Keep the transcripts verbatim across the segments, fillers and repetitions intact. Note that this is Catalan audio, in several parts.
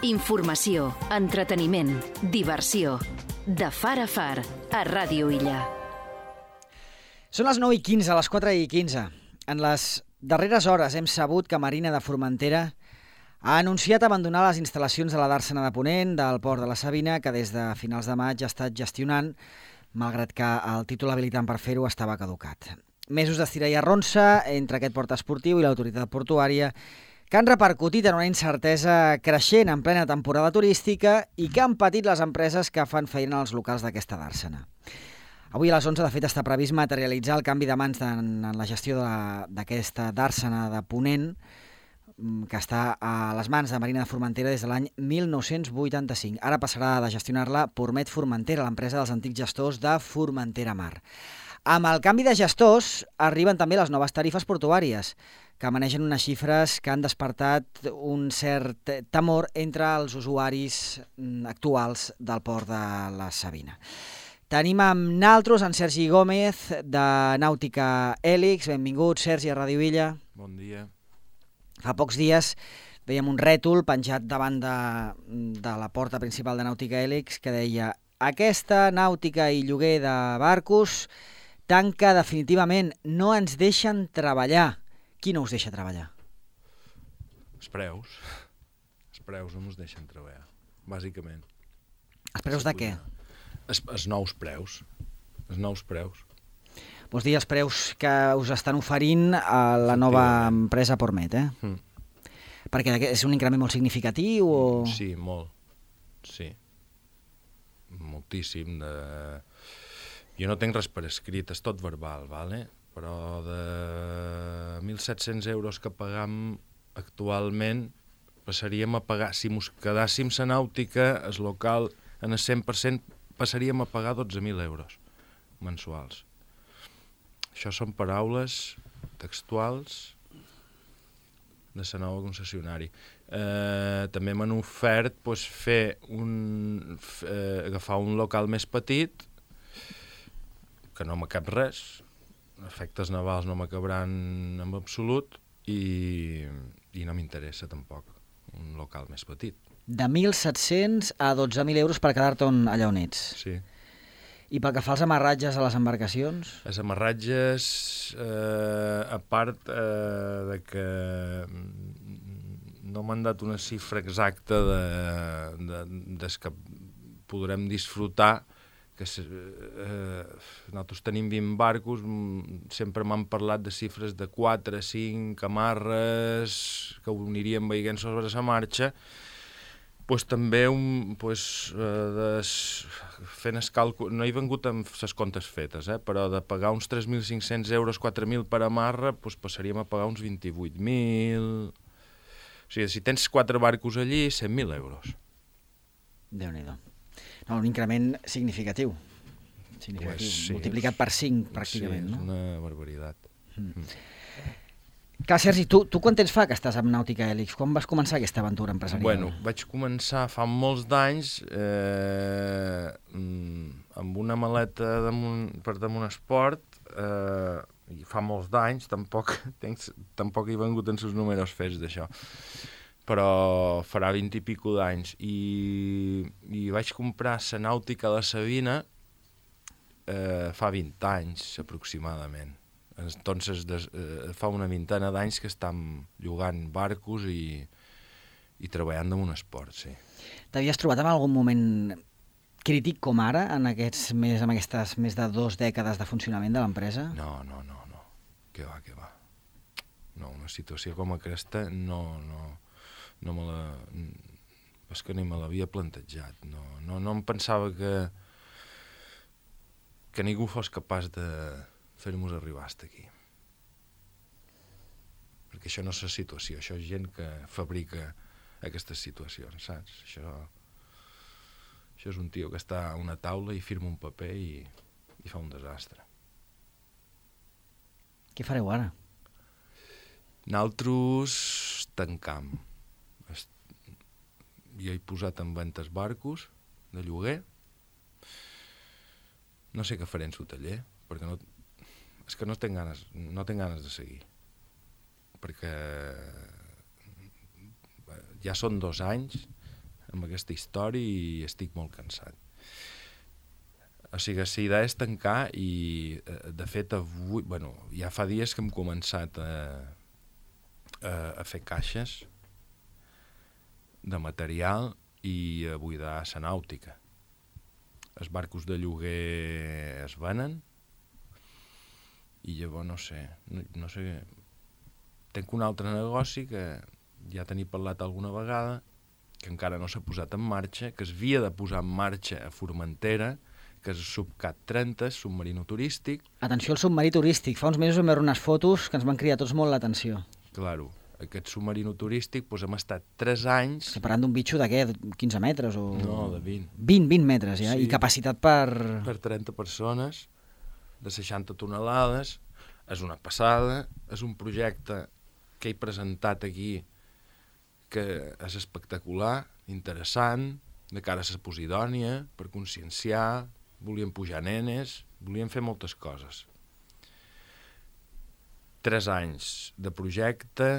Informació, entreteniment, diversió. De far a far, a Ràdio Illa. Són les nou i quinze, a les quatre i quinze. En les darreres hores hem sabut que Marina de Formentera ha anunciat abandonar les instal·lacions de la Dàrsena de Ponent del Port de la Sabina, que des de finals de maig ha estat gestionant, malgrat que el títol habilitant per fer-ho estava caducat. Mesos d'estira i arronsa entre aquest port esportiu i l'autoritat portuària que han repercutit en una incertesa creixent en plena temporada turística i que han patit les empreses que fan feina als locals d'aquesta Dàrsena. Avui a les onze, de fet, està previst materialitzar el canvi de mans en la gestió d'aquesta Dàrsena de Ponent, que està a les mans de Marina de Formentera des de l'any mil nou-cents vuitanta-cinc. Ara passarà de gestionar-la Pormet Formentera, l'empresa dels antics gestors de Formentera Mar. Amb el canvi de gestors arriben també les noves tarifes portuàries, que manegen unes xifres que han despertat un cert temor entre els usuaris actuals del port de la Sabina. Tenim amb naltros en Sergi Gómez, de Nàutica Hèlix. Benvingut, Sergi, a Ràdio Illa. Bon dia. Fa pocs dies veiem un rètol penjat davant de, de la porta principal de Nàutica Hèlix que deia: aquesta nàutica i lloguer de barcos tanca definitivament, no ens deixen treballar. Qui no us deixa treballar? Els preus. Els preus no ens deixen treballar, bàsicament. Els preus de què? Els, els nous preus. Els nous preus. Vols dir els preus que us estan oferint a la nova empresa Pormet, eh? Mm. Perquè és un increment molt significatiu o...? Sí, molt. Sí. Moltíssim. De... Jo no tinc res per escrit, és tot verbal, vale? Però de mil set-cents euros que pagam actualment passaríem a pagar, si mos quedàssim la nàutica, el local, en el cent per cent passaríem a pagar dotze mil euros mensuals. Això són paraules textuals de la nova concessionari. Eh, també m'han ofert pues, fer un, eh, agafar un local més petit, que no m'acab res, efectes navals no m'acabaran en absolut i, i no m'interessa tampoc un local més petit. De mil set-cents a dotze mil euros per quedar-te allà on ets. Sí. I pel que fa als amarratges a les embarcacions? Els amarratges, eh, a part eh, de que no m'han dat una xifra exacta de, de, des que podrem disfrutar, que eh, nosaltres tenim vint barcos, sempre m'han parlat de xifres de quatre, cinc amarres que ho anirien veient sobre la marxa, pues, també un, pues, eh, des, fent el càlcul, no he vengut amb les comptes fetes, eh, però de pagar uns tres mil cinc-cents euros, quatre mil per amarra, pues, passaríem a pagar uns vint-i-vuit mil... O sigui, si tens quatre barcos allí, cent mil euros. Déu-n'hi-do. No, un increment significatiu, significatiu. Pues sí, multiplicat per cinc, pràcticament. Sí, és no? una barbaritat. Mm. Mm. Clar, Sergi, tu, tu quant temps fa que estàs amb Nàutica Hèlix? Quan vas començar aquesta aventura empresarial? Bueno, vaig començar fa molts d'anys eh, amb una maleta damunt, per damunt esport, eh, i fa molts d'anys, tampoc, tenc, tampoc he vengut en els números fets d'això, però farà vint i pico d'anys, i, i vaig comprar la nàutica a la Sabina eh, fa vint anys, aproximadament. Entonces, des, eh, fa una vintena d'anys que estem llogant barcos i, i treballant en un esport, sí. T'havies trobat en algun moment crític com ara, en, aquests, més, en aquestes més de dues dècades de funcionament de l'empresa? No, no, no, no. Què va, què va. No, una situació com aquesta no... no no me la... és que ni me l'havia plantejat. No, no, no em pensava que que ningú fos capaç de fer-nos arribar fins aquí. Perquè això no és la situació, això és gent que fabrica aquestes situacions, saps? Això, això és un tio que està a una taula i firma un paper i, i fa un desastre. Què fareu ara? Nosaltres tancam. Jo he posat en venda els barcos de lloguer. No sé què faré en el taller, perquè no, és que no tinc ganes, no tinc ganes de seguir. Perquè ja són dos anys amb aquesta història i estic molt cansat. O sigui, la idea és tancar i, de fet, avui, bueno, ja fa dies que hem començat a, a, a fer caixes de material i a buidar la nàutica. Els barcos de lloguer es venen i llavors no sé, no, no sé, tinc un altre negoci que ja tenia parlat alguna vegada, que encara no s'ha posat en marxa, que es havia de posar en marxa a Formentera, que és el Subcat trenta, submarino turístic. Atenció al submarí turístic. Fa uns mesos vam veure unes fotos que ens van cridar tots molt l'atenció. Claro, aquest submarino turístic doncs hem estat tres anys... Estem parlant d'un bitxo de què? quinze metres? O... No, de vint. vint, vint metres, ja? Sí. I capacitat per... Per trenta persones, de seixanta tonelades. És una passada, és un projecte que he presentat aquí que és espectacular, interessant, de cara a la Posidònia, per conscienciar, volíem pujar nenes, volíem fer moltes coses. Tres anys de projecte,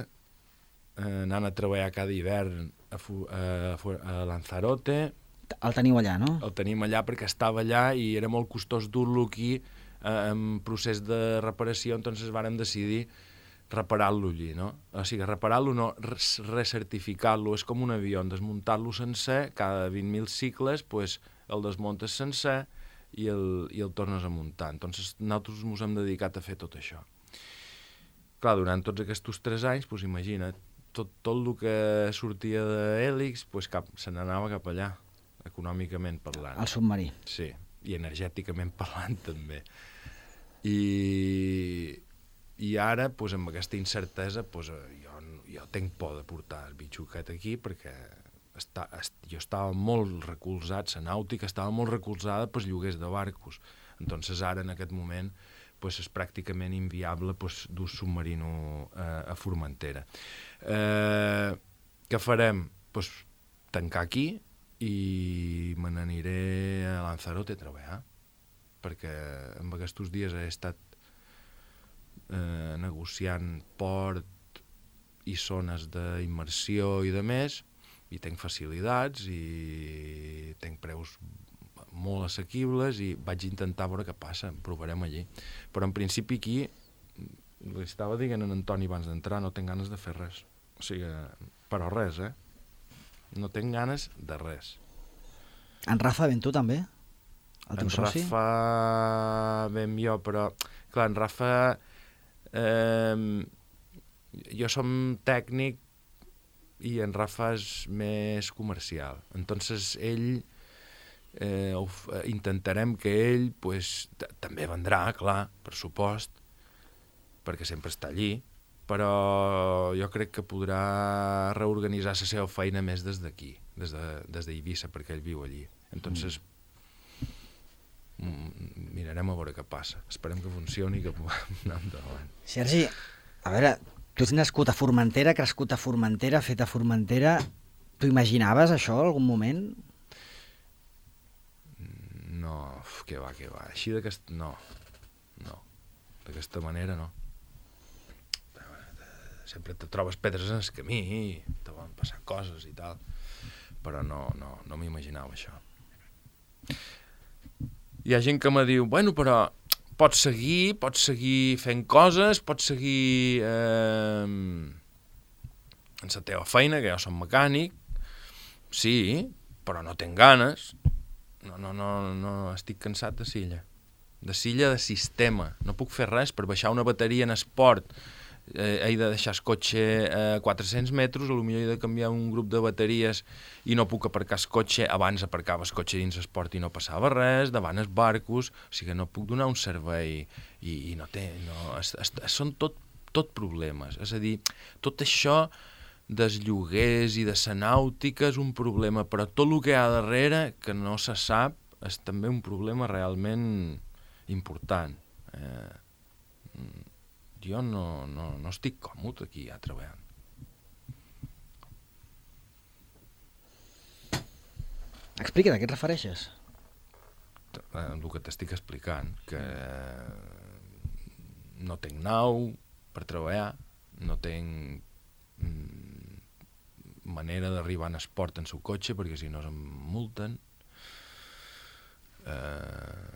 eh, anant a treballar cada hivern a, a, a Lanzarote. El teniu allà, no? El tenim allà perquè estava allà i era molt costós dur-lo aquí eh, en procés de reparació, entonces vàrem decidir reparar-lo allí, no? O sigui, reparar-lo no, recertificar-lo, és com un avió, desmuntar-lo sencer, cada vint mil cicles, pues, el desmuntes sencer i el, i el tornes a muntar. Entonces, nosaltres ens hem dedicat a fer tot això. Clar, durant tots aquests tres anys, pues, imagina't, tot, tot el que sortia d'Hèlix, pues, cap, se n'anava cap allà, econòmicament parlant. El submarí. Sí, i energèticament parlant també. I... I ara, doncs, amb aquesta incertesa, doncs, jo, jo tinc por de portar el bitxo aquest aquí perquè està, est, jo estava molt recolzat, la nàutica estava molt recolzada pels lloguers de barcos. Entonces ara, en aquest moment, doncs, és pràcticament inviable doncs, dur submarino eh, a Formentera. Eh, què farem? Doncs, tancar aquí i me n'aniré a Lanzarote a treballar, perquè en aquests dies he estat Eh, negociant port i zones d'immersió i de més, i tinc facilitats i tinc preus molt assequibles i vaig intentar veure què passa, provarem allí. Però en principi aquí, li estava dient a en Antoni abans d'entrar, no tinc ganes de fer res. O sigui, però res, eh? No tinc ganes de res. En Rafa ben tu també? El teu en soci? Rafa ben jo, però clar, en Rafa eh, jo som tècnic i en Rafa és més comercial. Entonces ell eh, intentarem que ell pues, també vendrà, clar, per supost, perquè sempre està allí, però jo crec que podrà reorganitzar la seva feina més des d'aquí, des de, des d'Eivissa, perquè ell viu allí. Entonces mm. mirarem a veure què passa. Esperem que funcioni i que puguem anar endavant. Sergi, a veure, tu ets nascut a Formentera, crescut a Formentera, fet a Formentera. Tu imaginaves això en algun moment? No, què va, què va. Així d'aquest... No, no. D'aquesta manera, no. Sempre te trobes pedres en el camí i te van passar coses i tal, però no, no, no m'imaginava això. Hi ha gent que me diu, bueno, però pots seguir, pots seguir fent coses, pots seguir eh, en la teva feina, que jo som mecànic, sí, però no tinc ganes, no, no, no, no, estic cansat de silla, de silla de sistema, no puc fer res per baixar una bateria en esport. Eh, he de deixar el cotxe a quatre-cents metres, potser he de canviar un grup de bateries i no puc aparcar el cotxe. Abans aparcava el cotxe dins l'esport i no passava res, davant els barcos, o sigui, no puc donar un servei i, i no té... No, es, es, són tot, tot problemes, és a dir, tot això dels lloguers i de la nàutica és un problema, però tot el que hi ha darrere, que no se sap, és també un problema realment important. Eh, jo no, no, no estic còmode aquí ja treballant. Explica't, a què et refereixes? El que t'estic explicant, que no tinc nau per treballar, no tinc manera d'arribar en esport en el seu cotxe, perquè si no se'm multen. Eh,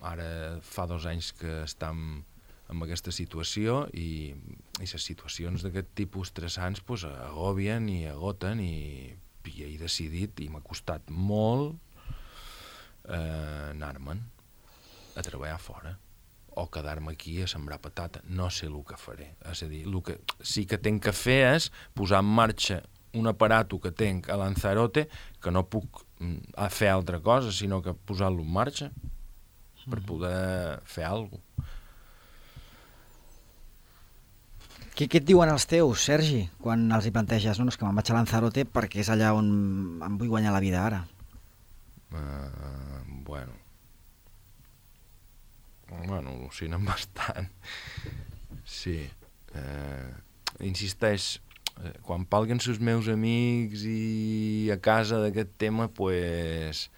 ara fa dos anys que estem en aquesta situació i, i les situacions d'aquest tipus estressants pues, agobien i agoten i, i he decidit, i m'ha costat molt, eh, anar-me'n a treballar fora o quedar-me aquí a sembrar patata. No sé el que faré. És a dir, el que sí que tinc que fer és posar en marxa un aparato que tinc a Lanzarote, que no puc mm, fer altra cosa, sinó que posar-lo en marxa per poder fer alguna cosa. Què, què et diuen els teus, Sergi, quan els hi planteges? No, no és que me'n vaig a Lanzarote perquè és allà on em vull guanyar la vida ara. Uh, bueno... Bueno, al·lucinen bastant. Sí. Uh, insisteix, uh, quan palguen els meus amics i a casa d'aquest tema, pues,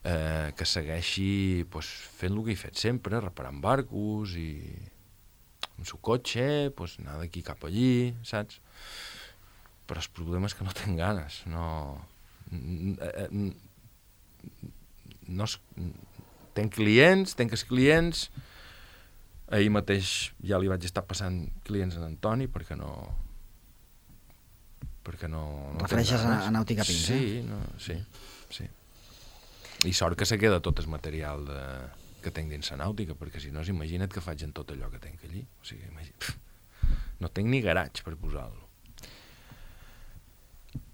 uh, que segueixi pues, fent el que he fet sempre, reparant barcos i amb el cotxe, pues, anar d'aquí cap allí, saps? Però el problema és que no tinc ganes, no... no es... Tenc clients, tenc els clients, ahir mateix ja li vaig estar passant clients a Antoni perquè no... perquè no... no refereixes a, a Nàutica Pins, sí, eh? No, sí, sí. I sort que se queda tot el material de... que tinc dins la nàutica, perquè si no, imagina't que faig en tot allò que tinc allí. O sigui, imagina... no tinc ni garatge per posar-lo.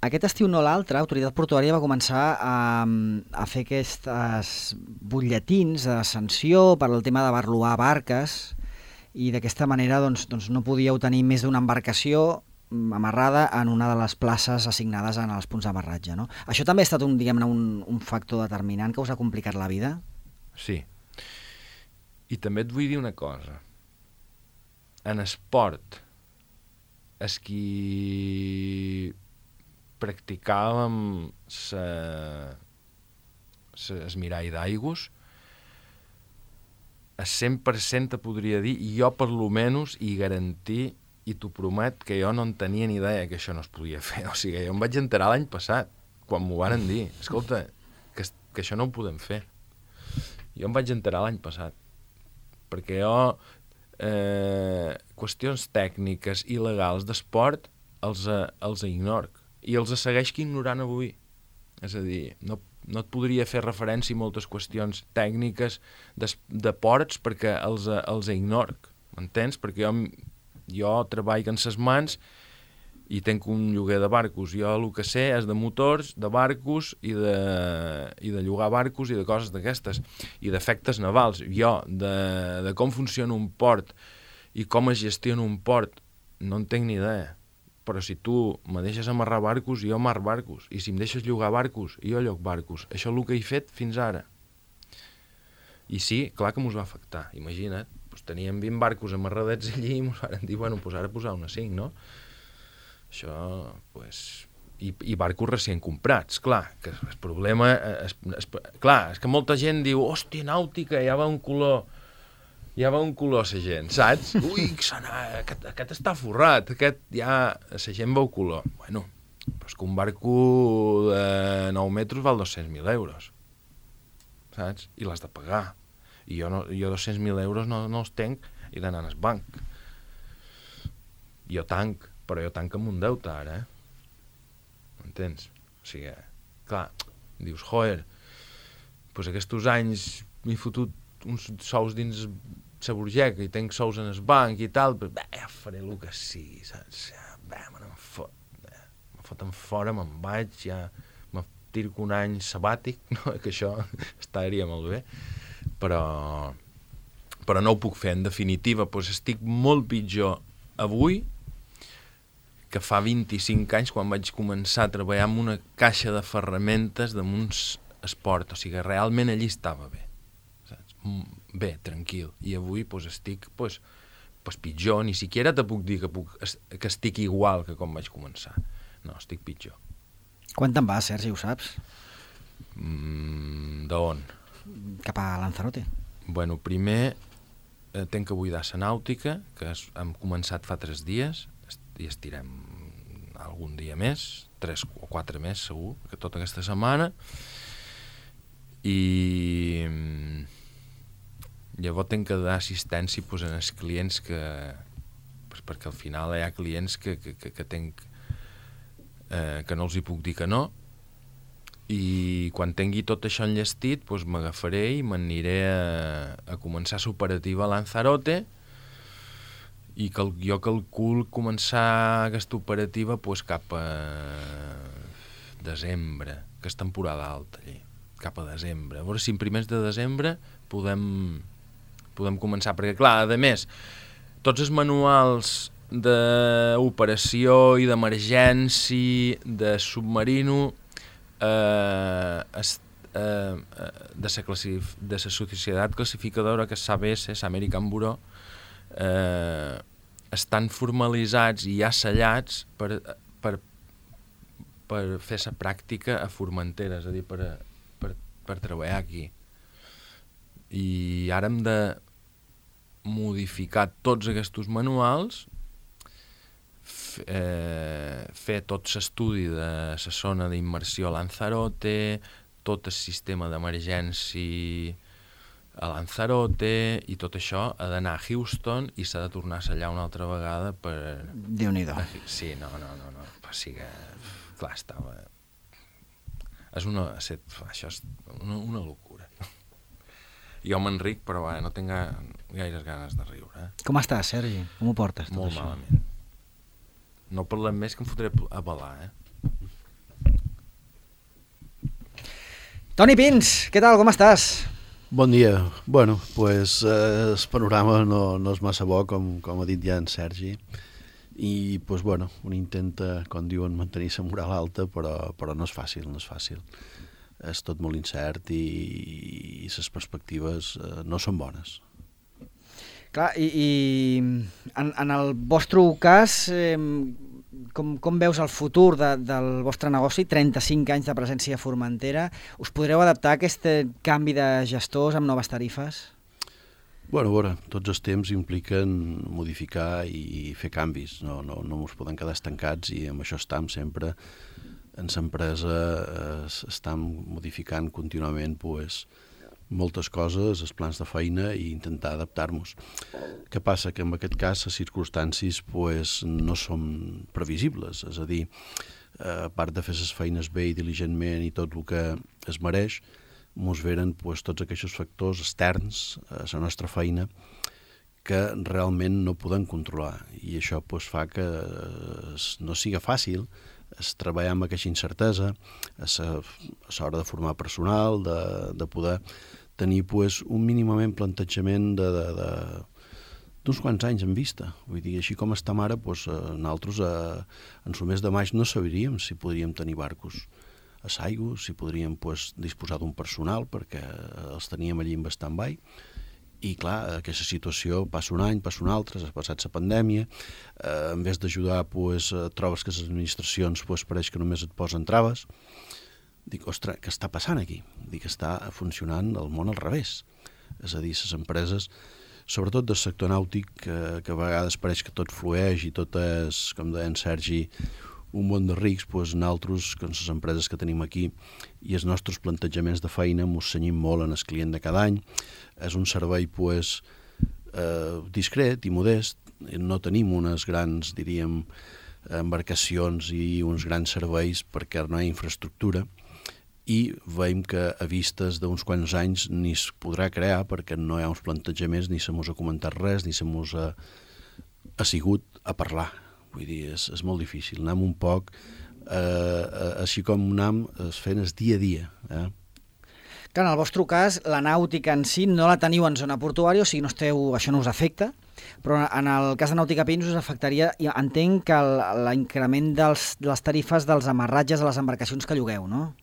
Aquest estiu no l'altre, Autoritat Portuària va començar a, a fer aquests butlletins de sanció per al tema de barluar barques i d'aquesta manera doncs, doncs no podíeu tenir més d'una embarcació amarrada en una de les places assignades en els punts d'amarratge, no? Això també ha estat un, diguem-ne, un, un factor determinant que us ha complicat la vida? Sí. I també et vull dir una cosa. En esport, és qui practicàvem el mirall d'aigües, el cent per cent te podria dir, i jo per lo menys i garantir, i t'ho promet, que jo no en tenia ni idea que això no es podia fer. O sigui, jo em vaig enterar l'any passat, quan m'ho varen dir. Escolta, que, que això no ho podem fer. Jo em vaig enterar l'any passat. Perquè jo, eh, qüestions tècniques i legals d'esport els, els ignoro. I els segueix ignorant avui. És a dir, no, no et podria fer referència a moltes qüestions tècniques de, de ports perquè els, els ignoro. M'entens? Perquè jo, jo treballo en ses mans i tenc un lloguer de barcos. Jo el que sé és de motors, de barcos i de, i de llogar barcos i de coses d'aquestes. I d'efectes navals. Jo, de, de com funciona un port i com es gestiona un port, no en tinc ni idea. Però si tu me deixes amarrar barcos, jo amarro barcos. I si em deixes llogar barcos, jo lloc barcos. Això és el que he fet fins ara. I sí, clar que mos va afectar. Imagina't, doncs teníem vint barcos amarradets allí i mos van dir, bueno, doncs ara posar una cinc, no? Això, doncs... I, i barcos recient comprats, clar, que el problema... És, és, clar, és que molta gent diu, hòstia, nàutica, ja va un color... Ja va un color la gent, saps? Ui, aquest, aquest està forrat, aquest ja... La gent veu color. Bueno, però és que un barco de nou metres val dos-cents mil euros, saps? I l'has de pagar. I jo, no, jo dos-cents mil euros no, no els tenc i d'anar al banc. Jo tanc, però jo tanc amb un deute ara, eh? M'entens? O sigui, clar, dius, joder, doncs aquests anys m'he fotut uns sous dins la burgeca i tenc sous en el banc i tal, però bé, ja faré el que sigui, saps? Ja, bé, me n'en fot, bé, me foten fora, me'n vaig, ja me tiro un any sabàtic, no? Que això estaria molt bé, però, però no ho puc fer, en definitiva, doncs estic molt pitjor avui que fa vint-i-cinc anys quan vaig començar a treballar amb una caixa de ferramentes damunt esport, o sigui, realment allí estava bé. Bé, tranquil. I avui pues, estic pues, pues, pitjor. Ni siquiera te puc dir que, puc, que estic igual que com vaig començar. No, estic pitjor. Quan te'n vas, Sergi, ho saps? Mm, d'on? Cap a Lanzarote. Bueno, primer eh, tenc que buidar la nàutica, que es, hem començat fa tres dies. i estirem algun dia més, tres o quatre més segur, que tota aquesta setmana, i llavors tenc que dar assistència pues, als clients que, pues, perquè al final hi ha clients que, que, que, que tenc eh, que no els hi puc dir que no, i quan tingui tot això enllestit pues, m'agafaré i m'aniré a, a començar l'operativa a Lanzarote, i cal, jo calcul començar aquesta operativa pues, cap a desembre, que és temporada alta allí, cap a desembre. A veure si en primers de desembre podem, podem començar, perquè clar, a més, tots els manuals d'operació i d'emergència de submarino eh, es, eh, de la classif- de la societat classificadora, que és l'A B S, l'American Bureau, eh, estan formalitzats i ja sellats per, per, per fer la pràctica a Formentera, és a dir, per, per, per treballar aquí. I ara hem de modificar tots aquests manuals, f, eh, fer tot l'estudi de la zona d'immersió a Lanzarote, tot el sistema d'emergència a Lanzarote, i tot això ha d'anar a Houston i s'ha de tornar a sellar una altra vegada per... Déu-n'hi-do. Sí, no, no, no, no. O sigui que, clar, estava... És una... Això és una, una locura. Jo m'enric, però va, no tinc gaires ganes de riure. Eh? Com estàs, Sergi? Com ho portes, tot Molt això? malament. No parlem més, que em fotré a balar, eh? Toni Pins, què tal, com estàs? Bon dia. Bueno, pues, eh, el panorama no, no és massa bo, com, com ha dit ja en Sergi, i pues, bueno, un intenta, com diuen, mantenir la moral alta, però, però no és fàcil, no és fàcil. És tot molt incert i, i les perspectives eh, no són bones. Clar, i, i en, en el vostre cas, eh, com, com veus el futur de, del vostre negoci? trenta-cinc anys de presència a Formentera. Us podreu adaptar a aquest canvi de gestors amb noves tarifes? Bueno, a veure, tots els temps impliquen modificar i fer canvis. No, no, no ens podem quedar estancats, i amb això estem sempre. En l'empresa eh, estem modificant contínuament pues, moltes coses, els plans de feina, i intentar adaptar-nos. Què passa? Que en aquest cas les circumstàncies pues, no són previsibles, és a dir, a part de fer les feines bé i diligentment i tot el que es mereix, ens venen pues, tots aquests factors externs a la nostra feina que realment no podem controlar, i això pues, fa que no siga fàcil es treballar amb aquesta incertesa, a l'hora de formar personal, de, de poder tenir pues, un mínimament plantejament de, de, de, d'uns quants anys en vista. Vull dir, així com estem ara, pues, nosaltres eh, en el mes de maig no sabríem si podríem tenir barcos a l'aigua, si podríem pues, disposar d'un personal, perquè els teníem allí en stand-by. I clar, aquesta situació passa un any, passa un altre, s'ha passat la pandèmia, eh, en vez d'ajudar, pues, trobes que les administracions pues, pareix que només et posen traves. Dic, ostres, què està passant aquí? Dic, està funcionant el món al revés. És a dir, les empreses, sobretot del sector nàutic, que, que a vegades pareix que tot flueix i tot és, com deia en Sergi, un món de rics, doncs nosaltres, com les empreses que tenim aquí, i els nostres plantejaments de feina ens cenyim molt en el client de cada any. És un servei pues, eh, discret i modest, no tenim unes grans, diríem, embarcacions i uns grans serveis perquè no hi ha infraestructura, i veiem que a vistes d'uns quants anys ni es podrà crear perquè no hi ha uns plantejaments, ni se mos ha comentat res, ni se mos ha, ha sigut a parlar. Vull dir, és, és molt difícil. Anem un poc, eh, així com anem fent el dia a dia. Eh? Clar, en el vostre cas, la nàutica en si no la teniu en zona portuària, o sigui, no esteu, això no us afecta, però en el cas de Nàutica Pins us afectaria, entenc que l'increment de les tarifes dels amarratges a les embarcacions que llogueu, no?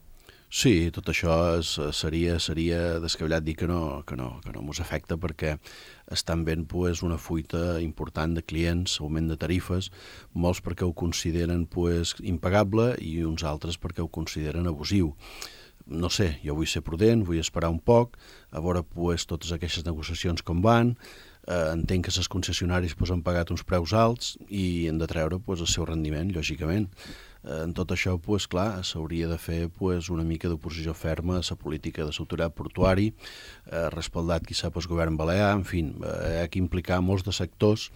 Sí, tot això és, seria, seria descabellat dir que no, que no, que no mos afecta, perquè estan veient pues, una fuita important de clients, augment de tarifes, molts perquè ho consideren pues, impagable i uns altres perquè ho consideren abusiu. No sé, jo vull ser prudent, vull esperar un poc, a veure pues, totes aquestes negociacions com van, Eh, entenc que les concessionaris pues, han pagat uns preus alts i han de treure pues, el seu rendiment, lògicament. Eh, en tot això, pues, clar, s'hauria de fer pues, una mica d'oposició ferma a la política de l'autoritat portuari, eh, respaldat qui sap el govern balear, en fi, eh, hi ha que implicar molts de sectors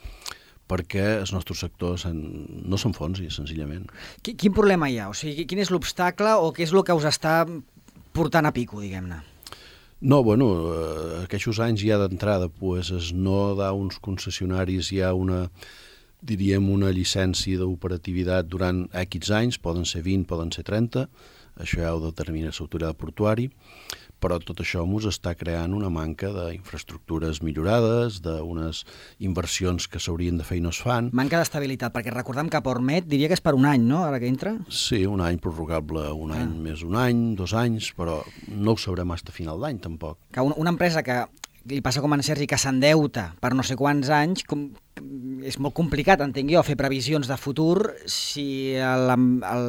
perquè els nostres sectors en, no s'enfonsi, senzillament. Quin problema hi ha? O sigui, quin és l'obstacle o què és el que us està portant a pico, diguem-ne? No, bueno, eh, aquests anys ja d'entrada pues, es no da uns concessionaris ja una, diríem, una llicència d'operativitat durant X anys, poden ser vint, poden ser trenta, això ja ho determina l'autoritat portuari, però tot això ens està creant una manca d'infraestructures millorades, d'unes inversions que s'haurien de fer i no es fan. Manca d'estabilitat, perquè recordem que Portmet diria que és per un any, no?, ara que entra? Sí, un any prorrogable, un any ah. més un any, dos anys, però no ho sabrem fins a final d'any, tampoc. Que una, una empresa que li passa com a en Sergi, que s'endeuta per no sé quants anys, com, és molt complicat, entenc jo, fer previsions de futur si el, el,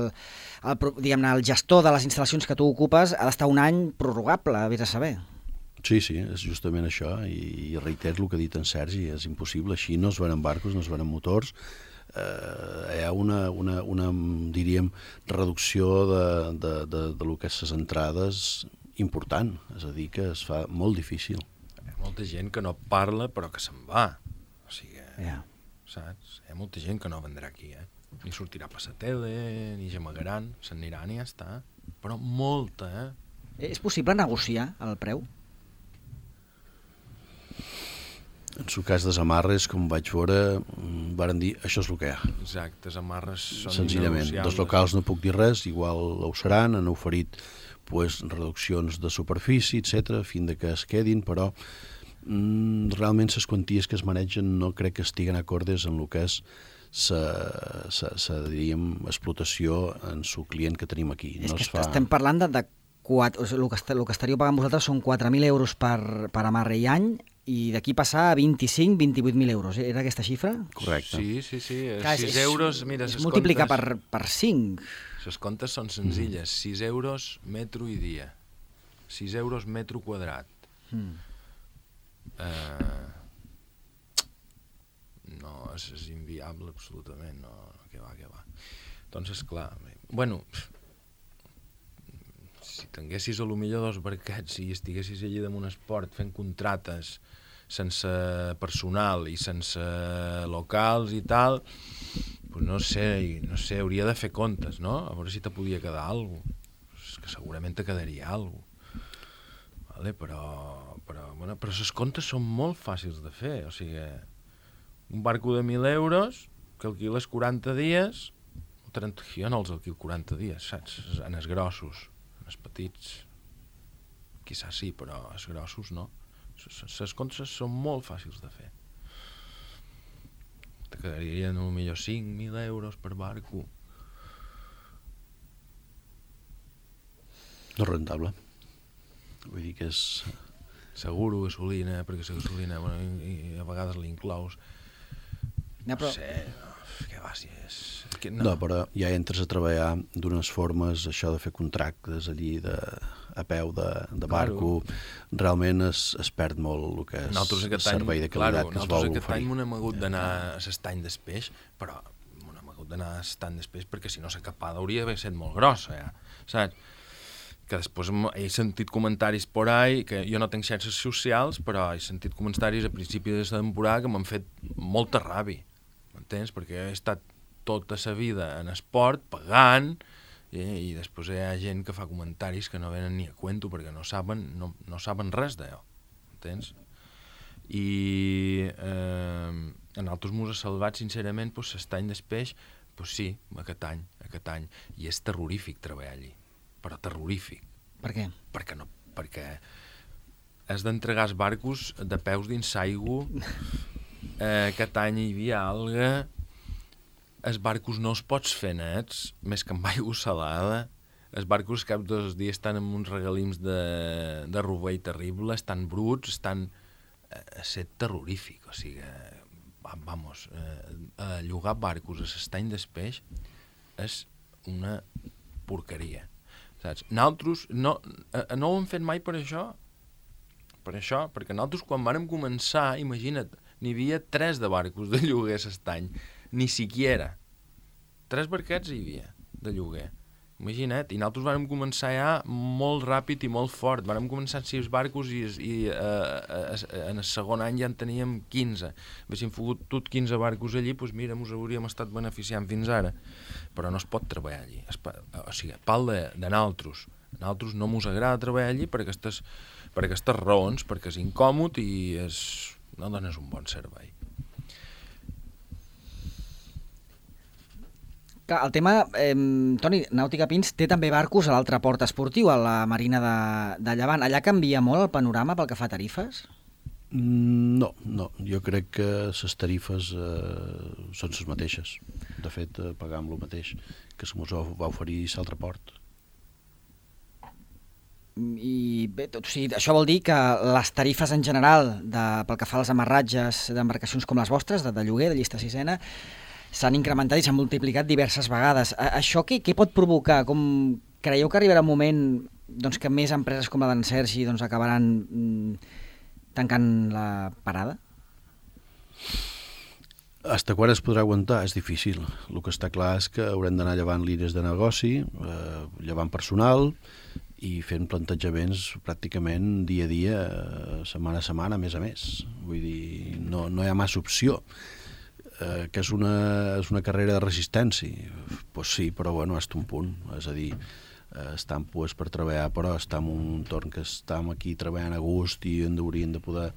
el, diguem-ne, el gestor de les instal·lacions que tu ocupes ha d'estar un any prorrogable, vés a saber. Sí, sí, és justament això, i, i reitero el que ha dit en Sergi, és impossible, així no es venen barcos, no es venen motors, eh, hi ha una, una, una, diríem, reducció de, de, de, de lo que és les entrades important, és a dir, que es fa molt difícil. Hi ha molta gent que no parla però que se'n va, o sigui, yeah. saps? Hi ha molta gent que no vendrà aquí, eh? Ni sortirà per la tele, ni gemagaran, se'n aniran i ja està, però molta, eh? És possible negociar el preu? En el cas de les amarres, com vaig veure, varen dir, això és el que hi ha. Exacte, les amarres són senzillament, dels locals no puc dir res, igual ho seran, han oferit pues, reduccions de superfície, etcètera, fins que es quedin, però mm, realment les quanties que es manegen no crec que estiguen acordes en el que és la, diríem, explotació en el client que tenim aquí. És no que es fa... estem parlant de, de quatre, o sigui, el, que est, el que estaríeu pagant vosaltres són quatre mil euros per, per amarre i any, i d'aquí passar a vint-i-cinc a vint-i-vuit mil euros. Era aquesta xifra? Correcte. Sí, sí, sí. Clar, sis és, euros, mira, és ses multiplicar comptes, per, per cinc. Les comptes són senzilles. Mm. sis euros metro i dia. sis euros metro quadrat. Mm. Uh, no, és, és inviable absolutament. No, no, que va, que va. Doncs, esclar, bueno, si tinguessis a lo millor dos barquets i estiguessis allí damunt esport fent contrates sense personal i sense locals i tal, pues no sé, no sé, hauria de fer comptes, no? A veure si te podia quedar alguna cosa. Que segurament te quedaria alguna cosa. Vale? Però, però, bueno, però les comptes són molt fàcils de fer. O sigui, un barco de mil euros que alquiles quaranta dies, trenta, jo no els alquil quaranta dies, saps? En els grossos. Els petits, quizás sí, però els grossos no. Les comptes són molt fàcils de fer. Te quedarien potser cinc mil euros per barco. No és rentable. Vull dir que és... Seguro, gasolina, perquè la gasolina, bueno, i, i a vegades l'inclous. No, però... no sé, no, què va, si és... Que no. no, però ja entres a treballar d'unes formes, això de fer contractes allí de, a peu de, de barco, claro. Realment es, es perd molt el que és el servei de qualitat claro, que es vol oferir. Nosaltres aquest any m'hem hagut d'anar a l'estany d'Espeix, però m'hem hagut d'anar a l'estany d'Espeix perquè si no la capada hauria d'haver estat molt grossa, ja, saps? Que després he sentit comentaris por ahí, que jo no tinc xarxes socials, però he sentit comentaris a principi de la temporada que m'han fet molta ràbia, m'entens? Perquè he estat tota la vida en esport, pagant, i, i després hi ha gent que fa comentaris que no venen ni a cuento perquè no saben, no, no saben res d'allò, entens? I eh, en altres mos ha salvat, sincerament, pues, l'estany d'Espeix, pues sí, aquest any, aquest any, i és terrorífic treballar allí, però terrorífic. Per què? Perquè no, perquè has d'entregar els barcos de peus dins l'aigua, eh, aquest any hi havia alga, els barcos no els pots fer nets, més que amb aigua salada. Els barcos cap dos dies estan amb uns regalims de, de rovell terrible, estan bruts, estan a ser terrorífic. O sigui, vamos, eh, llogar barcos a l'estany d'Espeix és una porqueria. Saps? Nosaltres no, no ho hem fet mai per això, per això, perquè nosaltres quan vàrem començar, imagina't, n'hi havia tres de barcos de lloguer s'estany. Ni siquiera. Tres barquets hi havia de lloguer. Imagina't, i nosaltres vàrem començar ja molt ràpid i molt fort. Vàrem començar amb sis barcos i, i uh, en el segon any ja en teníem quinze. Haguéssim fotut quinze barcos allí, doncs mira, ens hauríem estat beneficiant fins ara. Però no es pot treballar allí. Es, o sigui, pal de, de naltros. A naltros no mos agrada treballar allí per aquestes, per aquestes raons, perquè és incòmod i és, no dones un bon servei. El tema, eh, Toni, Nàutica Pins té també barcos a l'altre port esportiu, a la Marina de, de Llevant. Allà canvia molt el panorama pel que fa a tarifes? No, no. Jo crec que les tarifes eh, són les mateixes. De fet, eh, pagam el mateix que se mos va oferir l'altre port. I bé, o sigui, això vol dir que les tarifes en general, de, pel que fa als amarratges d'embarcacions com les vostres, de, de lloguer, de llista sisena, s'han incrementat i s'han multiplicat diverses vegades. Això què, què pot provocar? Com creieu que arribarà un moment doncs, que més empreses com la d'en Sergi doncs, acabaran mm, tancant la parada? Hasta quan es podrà aguantar? És difícil. El que està clar és que haurem d'anar llevant línies de negoci, eh, llevant personal i fent plantejaments pràcticament dia a dia, setmana a setmana, a més a més. Vull dir, no, no hi ha massa opció. Eh, que és una, és una carrera de resistència. Pues sí, però bueno, hasta un punt. És a dir, eh, estem pues, per treballar, però estem en un entorn que estem aquí treballant a gust i en hauríem de poder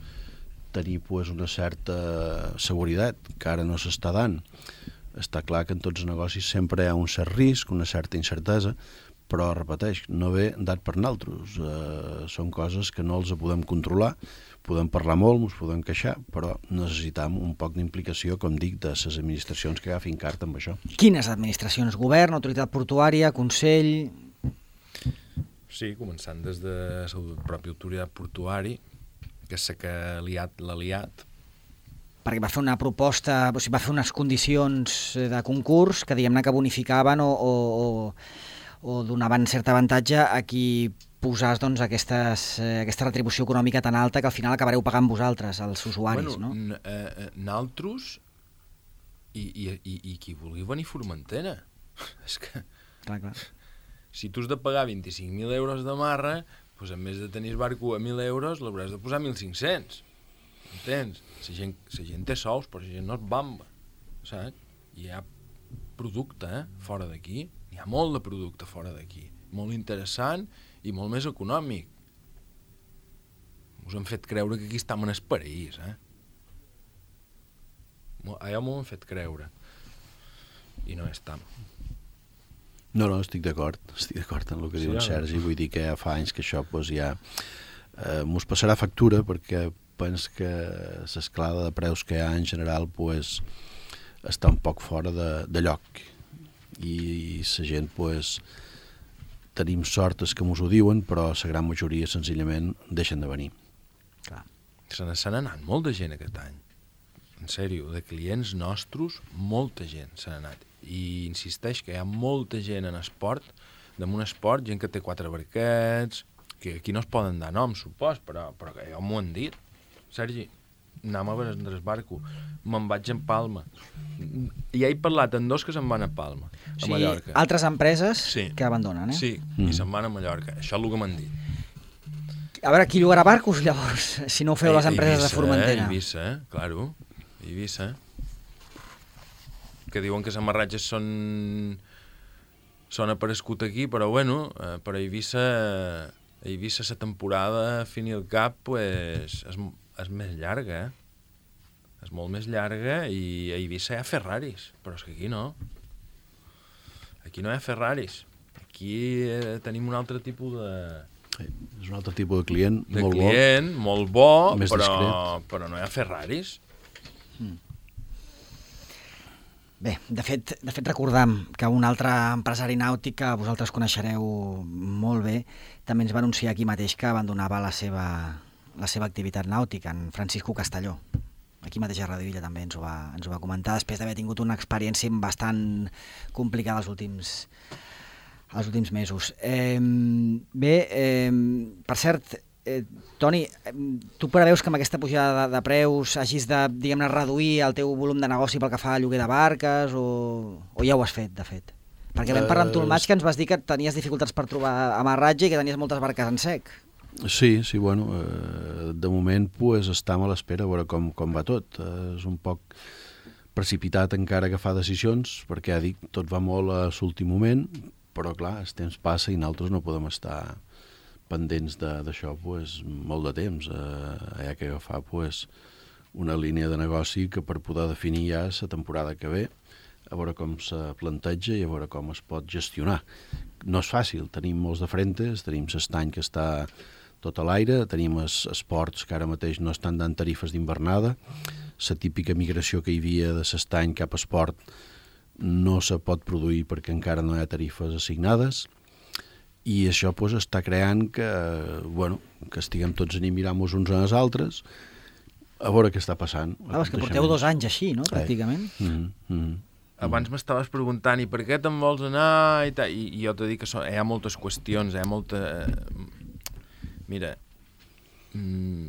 tenir pues, una certa seguretat, que ara no s'està dant. Està clar que en tots els negocis sempre hi ha un cert risc, una certa incertesa, però, repeteix, no ve dat per naltros. Eh, són coses que no els podem controlar, podem parlar molt, ens podem queixar, però necessitam un poc d'implicació, com dic, de les administracions que agafin carta amb això. Quines administracions? Govern, autoritat portuària, Consell? Sí, començant des de la pròpia autoritat portuària, que és la que l'ha liat. Perquè va fer una proposta, o sigui, va fer unes condicions de concurs que diguem-ne que bonificaven o, o, o, o donaven cert avantatge a qui posàs doncs, aquestes, eh, aquesta retribució econòmica tan alta que al final acabareu pagant vosaltres, els usuaris, bueno, no? Eh, naltros i, i, i, i qui vulgui venir a Formentera. És que... Clar, clar. Si tu has de pagar vint-i-cinc mil euros de marra, doncs en més de tenir el barco a mil euros, l'hauràs de posar mil cinc-cents. Entens? La gent, la gent té sous, però la gent no es bamba. Saps? Hi ha producte eh, fora d'aquí. Hi ha molt de producte fora d'aquí. Molt interessant i molt més econòmic. Us han fet creure que aquí estem en el paraís, eh? Allò m'ho han fet creure. I no estem. No, no, estic d'acord. Estic d'acord en el que sí, diu en Sergi. Vull dir que ja fa anys que això pues, ja eh, mos passarà factura, perquè penso que l'escalada de preus que hi ha en general pues, està un poc fora de, de lloc. I la gent, pues, tenim sort que mos ho diuen, però la gran majoria senzillament deixen de venir. Clar. Se n'ha anat molta gent aquest any. En sèrio, de clients nostres, molta gent se n'ha anat. I insisteix que hi ha molta gent en esport, damunt esport, gent que té quatre barquets, que aquí no es poden dar noms, supos, però, però que ja m'ho han dit. Sergi, anem a veure el barco, me'n vaig en Palma. Ja he parlat amb dos que se'n van a Palma, a o sigui, Mallorca. Altres empreses sí. que abandonen, eh? Sí, mm. i se'n van a Mallorca. Això és el que m'han dit. A veure, qui llogarà barcos, llavors, si no ho feu les empreses Eivissa, de Formentera? Eh? Eivissa, eh? Claro. Eivissa. Que diuen que els amarratges són... són aparegut aquí, però bueno, eh, per a Eivissa, a Eivissa la temporada, a fin i al cap, pues, és, és més llarga, eh? És molt més llarga i a Eivissa hi ha Ferraris, però és que aquí no. Aquí no hi ha Ferraris. Aquí eh, tenim un altre tipus de... Sí, és un altre tipus de client, de molt client, bo. molt bo, més però, discret. però no hi ha Ferraris. Mm. Bé, de fet, de fet recordam que un altre empresari nàutic que vosaltres coneixereu molt bé també ens va anunciar aquí mateix que abandonava la seva, la seva activitat nàutica, en Francisco Castelló. Aquí mateix a Radio Illa també ens ho va, ens ho va comentar, després d'haver tingut una experiència bastant complicada els últims, els últims mesos. Eh, bé, eh, per cert, eh, Toni, tu preveus que amb aquesta pujada de, de preus hagis de, diguem-ne, reduir el teu volum de negoci pel que fa a lloguer de barques o, o ja ho has fet, de fet? Perquè vam parlar amb tu al maig que ens vas dir que tenies dificultats per trobar amarratge i que tenies moltes barques en sec. Sí, sí, bueno, eh, de moment pues, estem a l'espera a veure com, com va tot. Eh, és un poc precipitat encara agafar decisions, perquè ja dic, tot va molt a l'últim moment, però clar, el temps passa i nosaltres no podem estar pendents d'això pues, molt de temps. Eh, hi ha que agafar pues, una línia de negoci que per poder definir ja la temporada que ve, a veure com se planteja i a veure com es pot gestionar. No és fàcil, tenim molts de frentes, tenim l'estany que està tot a l'aire, tenim els esports que ara mateix no estan dant tarifes d'hivernada, la típica migració que hi havia de l'estany cap a esport no se pot produir perquè encara no hi ha tarifes assignades i això pues, està creant que, bueno, que estiguem tots a mirar-nos uns als altres a veure què està passant. Ah, és que porteu dos anys així, no?, pràcticament. Eh. Mm -hmm. Abans m'estaves preguntant i per què te'n vols anar i, tal, i, i jo t'he dit que so, hi ha moltes qüestions, hi ha molta... Mira, mm,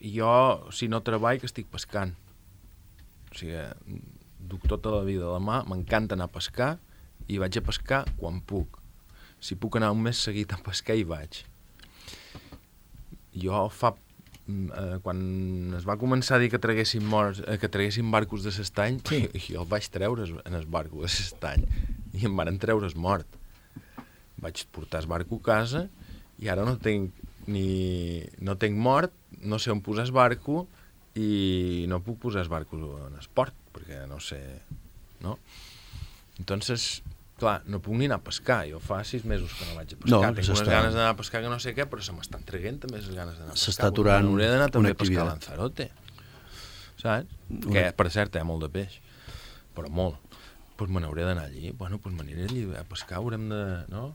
jo, si no treball, que estic pescant. O sigui, duc tota la vida a la mà, m'encanta anar a pescar i vaig a pescar quan puc. Si puc anar un mes seguit a pescar, hi vaig. Jo fa... Eh, quan es va començar a dir que traguessin, morts, eh, que traguessin barcos de l'estany, sí. Jo el vaig treure en el barco de l'estany i em van treure's mort. Vaig portar el barco a casa i ara no tinc ni no tinc mort, no sé on posar el barco i no puc posar el barco en esport perquè no sé, no? Entonces, clar, no puc ni anar a pescar. Jo fa sis mesos que no vaig a pescar. No, Tinc unes ganes d'anar a pescar que no sé què, però se m'estan traient també les ganes d'anar a pescar. S'està aturant una activitat. Hauré d'anar també a pescar a activitat. Lanzarote, saps? Una... Que, per cert, hi ha molt de peix, però molt. Doncs pues me n'hauré d'anar allí. Bueno, doncs pues m'aniré allí a pescar, haurem de... no?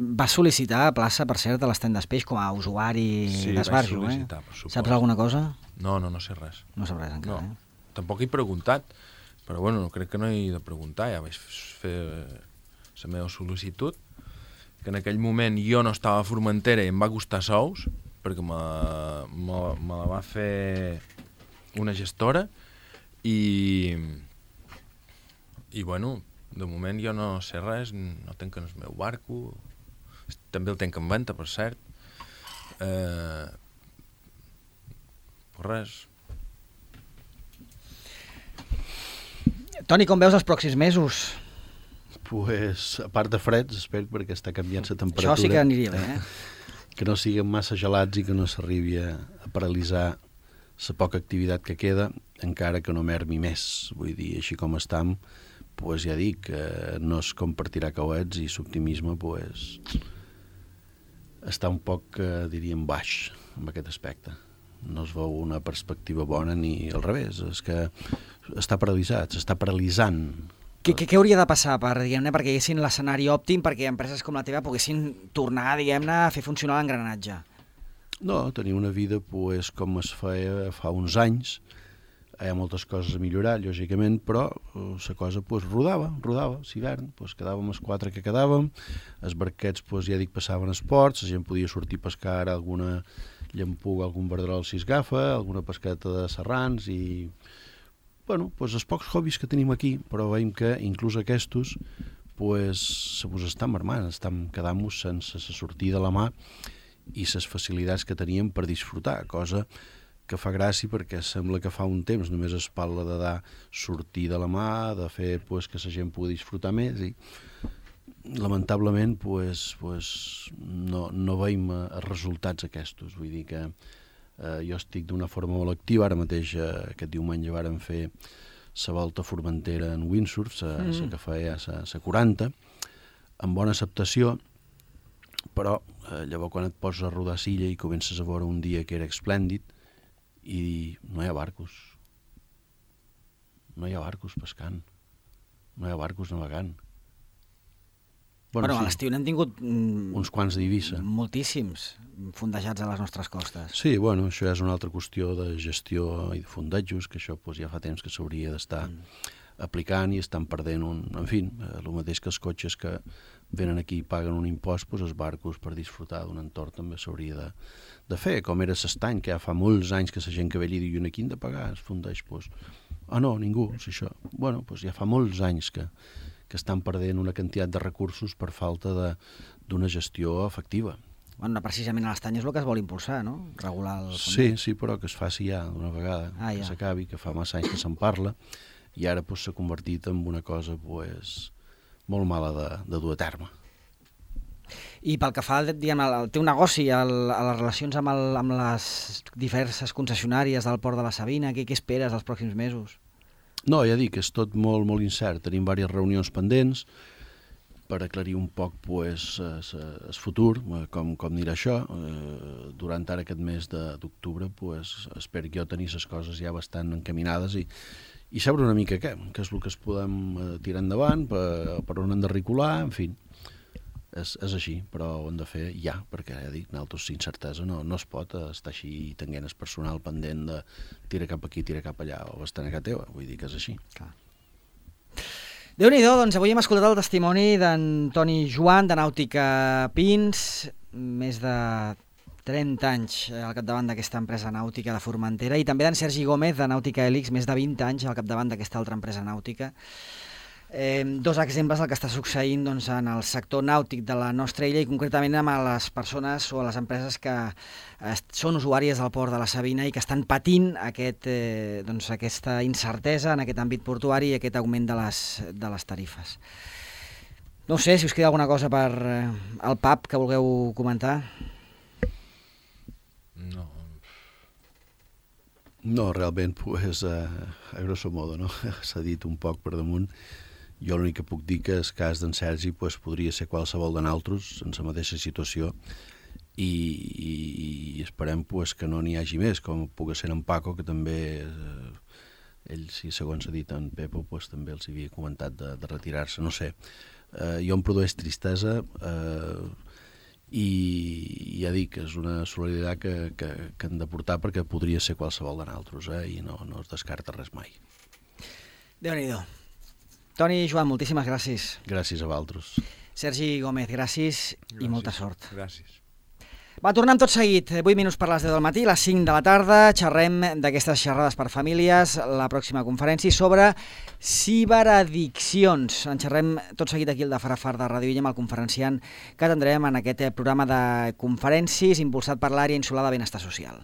Vas sol·licitar plaça, per cert, a l'estany d'Espeix com a usuari sí, d'esbarjo, eh? Sí, per supost. Saps alguna cosa? No, no, no sé res. No saps res encara, no. eh? Tampoc he preguntat, però bueno, no crec que no he de preguntar, ja vaig fer la meva sol·licitud, que en aquell moment jo no estava a Formentera i em va costar sous, perquè me, me, me la va fer una gestora, i, i bueno, de moment jo no sé res, no tenc en el meu barco, també el tenc en venda, per cert, eh, pues res. Toni, com veus els pròxims mesos? Pues, a part de freds, espero, perquè està canviant la temperatura. Això sí que aniria bé, eh? Que no siguin massa gelats i que no s'arribi a, a paralitzar la poca activitat que queda, encara que no mermi més. Vull dir, així com estam, pues ja dic, eh, no es compartirà coets i l'optimisme pues, està un poc, eh, diríem, baix en aquest aspecte. No es veu una perspectiva bona ni al revés, és que està paralitzat, s'està paralitzant. Què, què, què hauria de passar per, diguem-ne, perquè haguessin l'escenari òptim perquè empreses com la teva poguessin tornar, diguem-ne, a fer funcionar l'engranatge? No, tenir una vida pues, com es feia fa uns anys. Hi ha moltes coses a millorar, lògicament, però la cosa pues, rodava, rodava, l'hivern, pues, quedàvem els quatre que quedàvem, els barquets pues, ja dic passaven esports, la gent podia sortir a pescar ara alguna llampuga, algun verderol si es agafa, alguna pesqueta de serrans i... Bueno, pues, els pocs hobbies que tenim aquí, però veiem que inclús aquests pues, se vos estan marmant, estan quedant-nos sense la sortida de la mà i les facilitats que teníem per disfrutar, cosa que fa gràcia perquè sembla que fa un temps només es parla de dar sortir de la mà, de fer pues, que la gent pugui disfrutar més i lamentablement pues, pues, no, no veiem els resultats aquests. Vull dir que eh, jo estic d'una forma molt activa, ara mateix eh, aquest diumenge vàrem fer la volta a Formentera en windsurf, la mm. que feia la quaranta, amb bona acceptació, però eh, llavors quan et poses a rodar silla i comences a veure un dia que era esplèndid i no hi ha barcos. No hi ha barcos pescant. No hi ha barcos navegant. Bueno, bueno sí, a l'estiu n'hem tingut... Mm, uns quants d'Eivissa. Moltíssims fondejats a les nostres costes. Sí, bueno, això ja és una altra qüestió de gestió i de fondejos, que això pues, ja fa temps que s'hauria d'estar mm. aplicant i estan perdent un... En fi, el mateix que els cotxes que venen aquí i paguen un impost, doncs els barcos per disfrutar d'un entorn també s'hauria de, de fer, com era s'estany, que ja fa molts anys que la gent que ve allí diu, aquí hem de pagar, es fundeix, doncs, ah no, ningú, és això. Bueno, doncs ja fa molts anys que, que estan perdent una quantitat de recursos per falta d'una gestió efectiva. Bueno, precisament a l'estany és el que es vol impulsar, no? Regular el... Sí, sí, però que es faci ja d'una vegada, ah, que ja. s'acabi, que fa massa anys que se'n parla, i ara s'ha convertit en una cosa pues, molt mala de, de dur a terme. I pel que fa diguem, al teu negoci, al, a les relacions amb, el, amb les diverses concessionàries del Port de la Sabina, què, què esperes els pròxims mesos? No, ja dic, és tot molt, molt incert. Tenim diverses reunions pendents per aclarir un poc pues, el futur, com, com anirà això. Eh, durant ara aquest mes d'octubre pues, espero que jo tenir les coses ja bastant encaminades i i saber una mica què, què és el que es podem eh, tirar endavant, per, per on hem de recular, en fi, és, és així, però ho hem de fer ja, perquè ja dic, nosaltres sin certesa no, no es pot estar així tenint el personal pendent de tira cap aquí, tira cap allà, o estar a casa teva, vull dir que és així. Clar. Déu-n'hi-do, doncs avui hem escoltat el testimoni d'en Toni Joan, de Nàutica Pins, més de trenta anys al capdavant d'aquesta empresa nàutica de Formentera, i també d'en Sergi Gómez, de Nàutica Hèlix, més de vint anys al capdavant d'aquesta altra empresa nàutica. Eh, dos exemples del que està succeint doncs, en el sector nàutic de la nostra illa i concretament amb les persones o les empreses que eh, són usuàries del port de la Sabina i que estan patint aquest, eh, doncs, aquesta incertesa en aquest àmbit portuari i aquest augment de les, de les tarifes. No sé si us queda alguna cosa per eh, el P A P que vulgueu comentar. No. No, realment, pues, a, a grosso modo, no? S'ha dit un poc per damunt. Jo l'únic que puc dir que el cas d'en Sergi pues, podria ser qualsevol de nosaltres en la mateixa situació i, i, i esperem pues, que no n'hi hagi més, com pugui ser en Paco, que també, eh, ell, si segons s'ha dit en Pepo, pues, també els havia comentat de, de retirar-se, no sé. Eh, jo em produeix tristesa... Eh, i ja dic, és una solidaritat que, que, que hem de portar perquè podria ser qualsevol de nosaltres, eh? I no, no es descarta res mai. Déu-n'hi-do. Toni i Joan, moltíssimes gràcies. Gràcies a vosaltres. Sergi Gómez, gràcies, gràcies i molta sort. Gràcies. Va, tornem tot seguit, vuit minuts per les deu del matí, les cinc de la tarda, xerrem d'aquestes xerrades per famílies, la pròxima conferència sobre ciberaddiccions. En xerrem tot seguit aquí al de Far a Far de Ràdio Illa amb el conferenciant que atendrem en aquest programa de conferències impulsat per l'àrea insular de benestar social.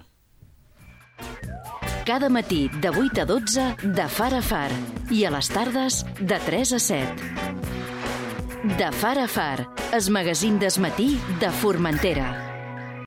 Cada matí de vuit a dotze de Far a Far i a les tardes de tres a set. De Far a Far, el magazín del matí de Formentera.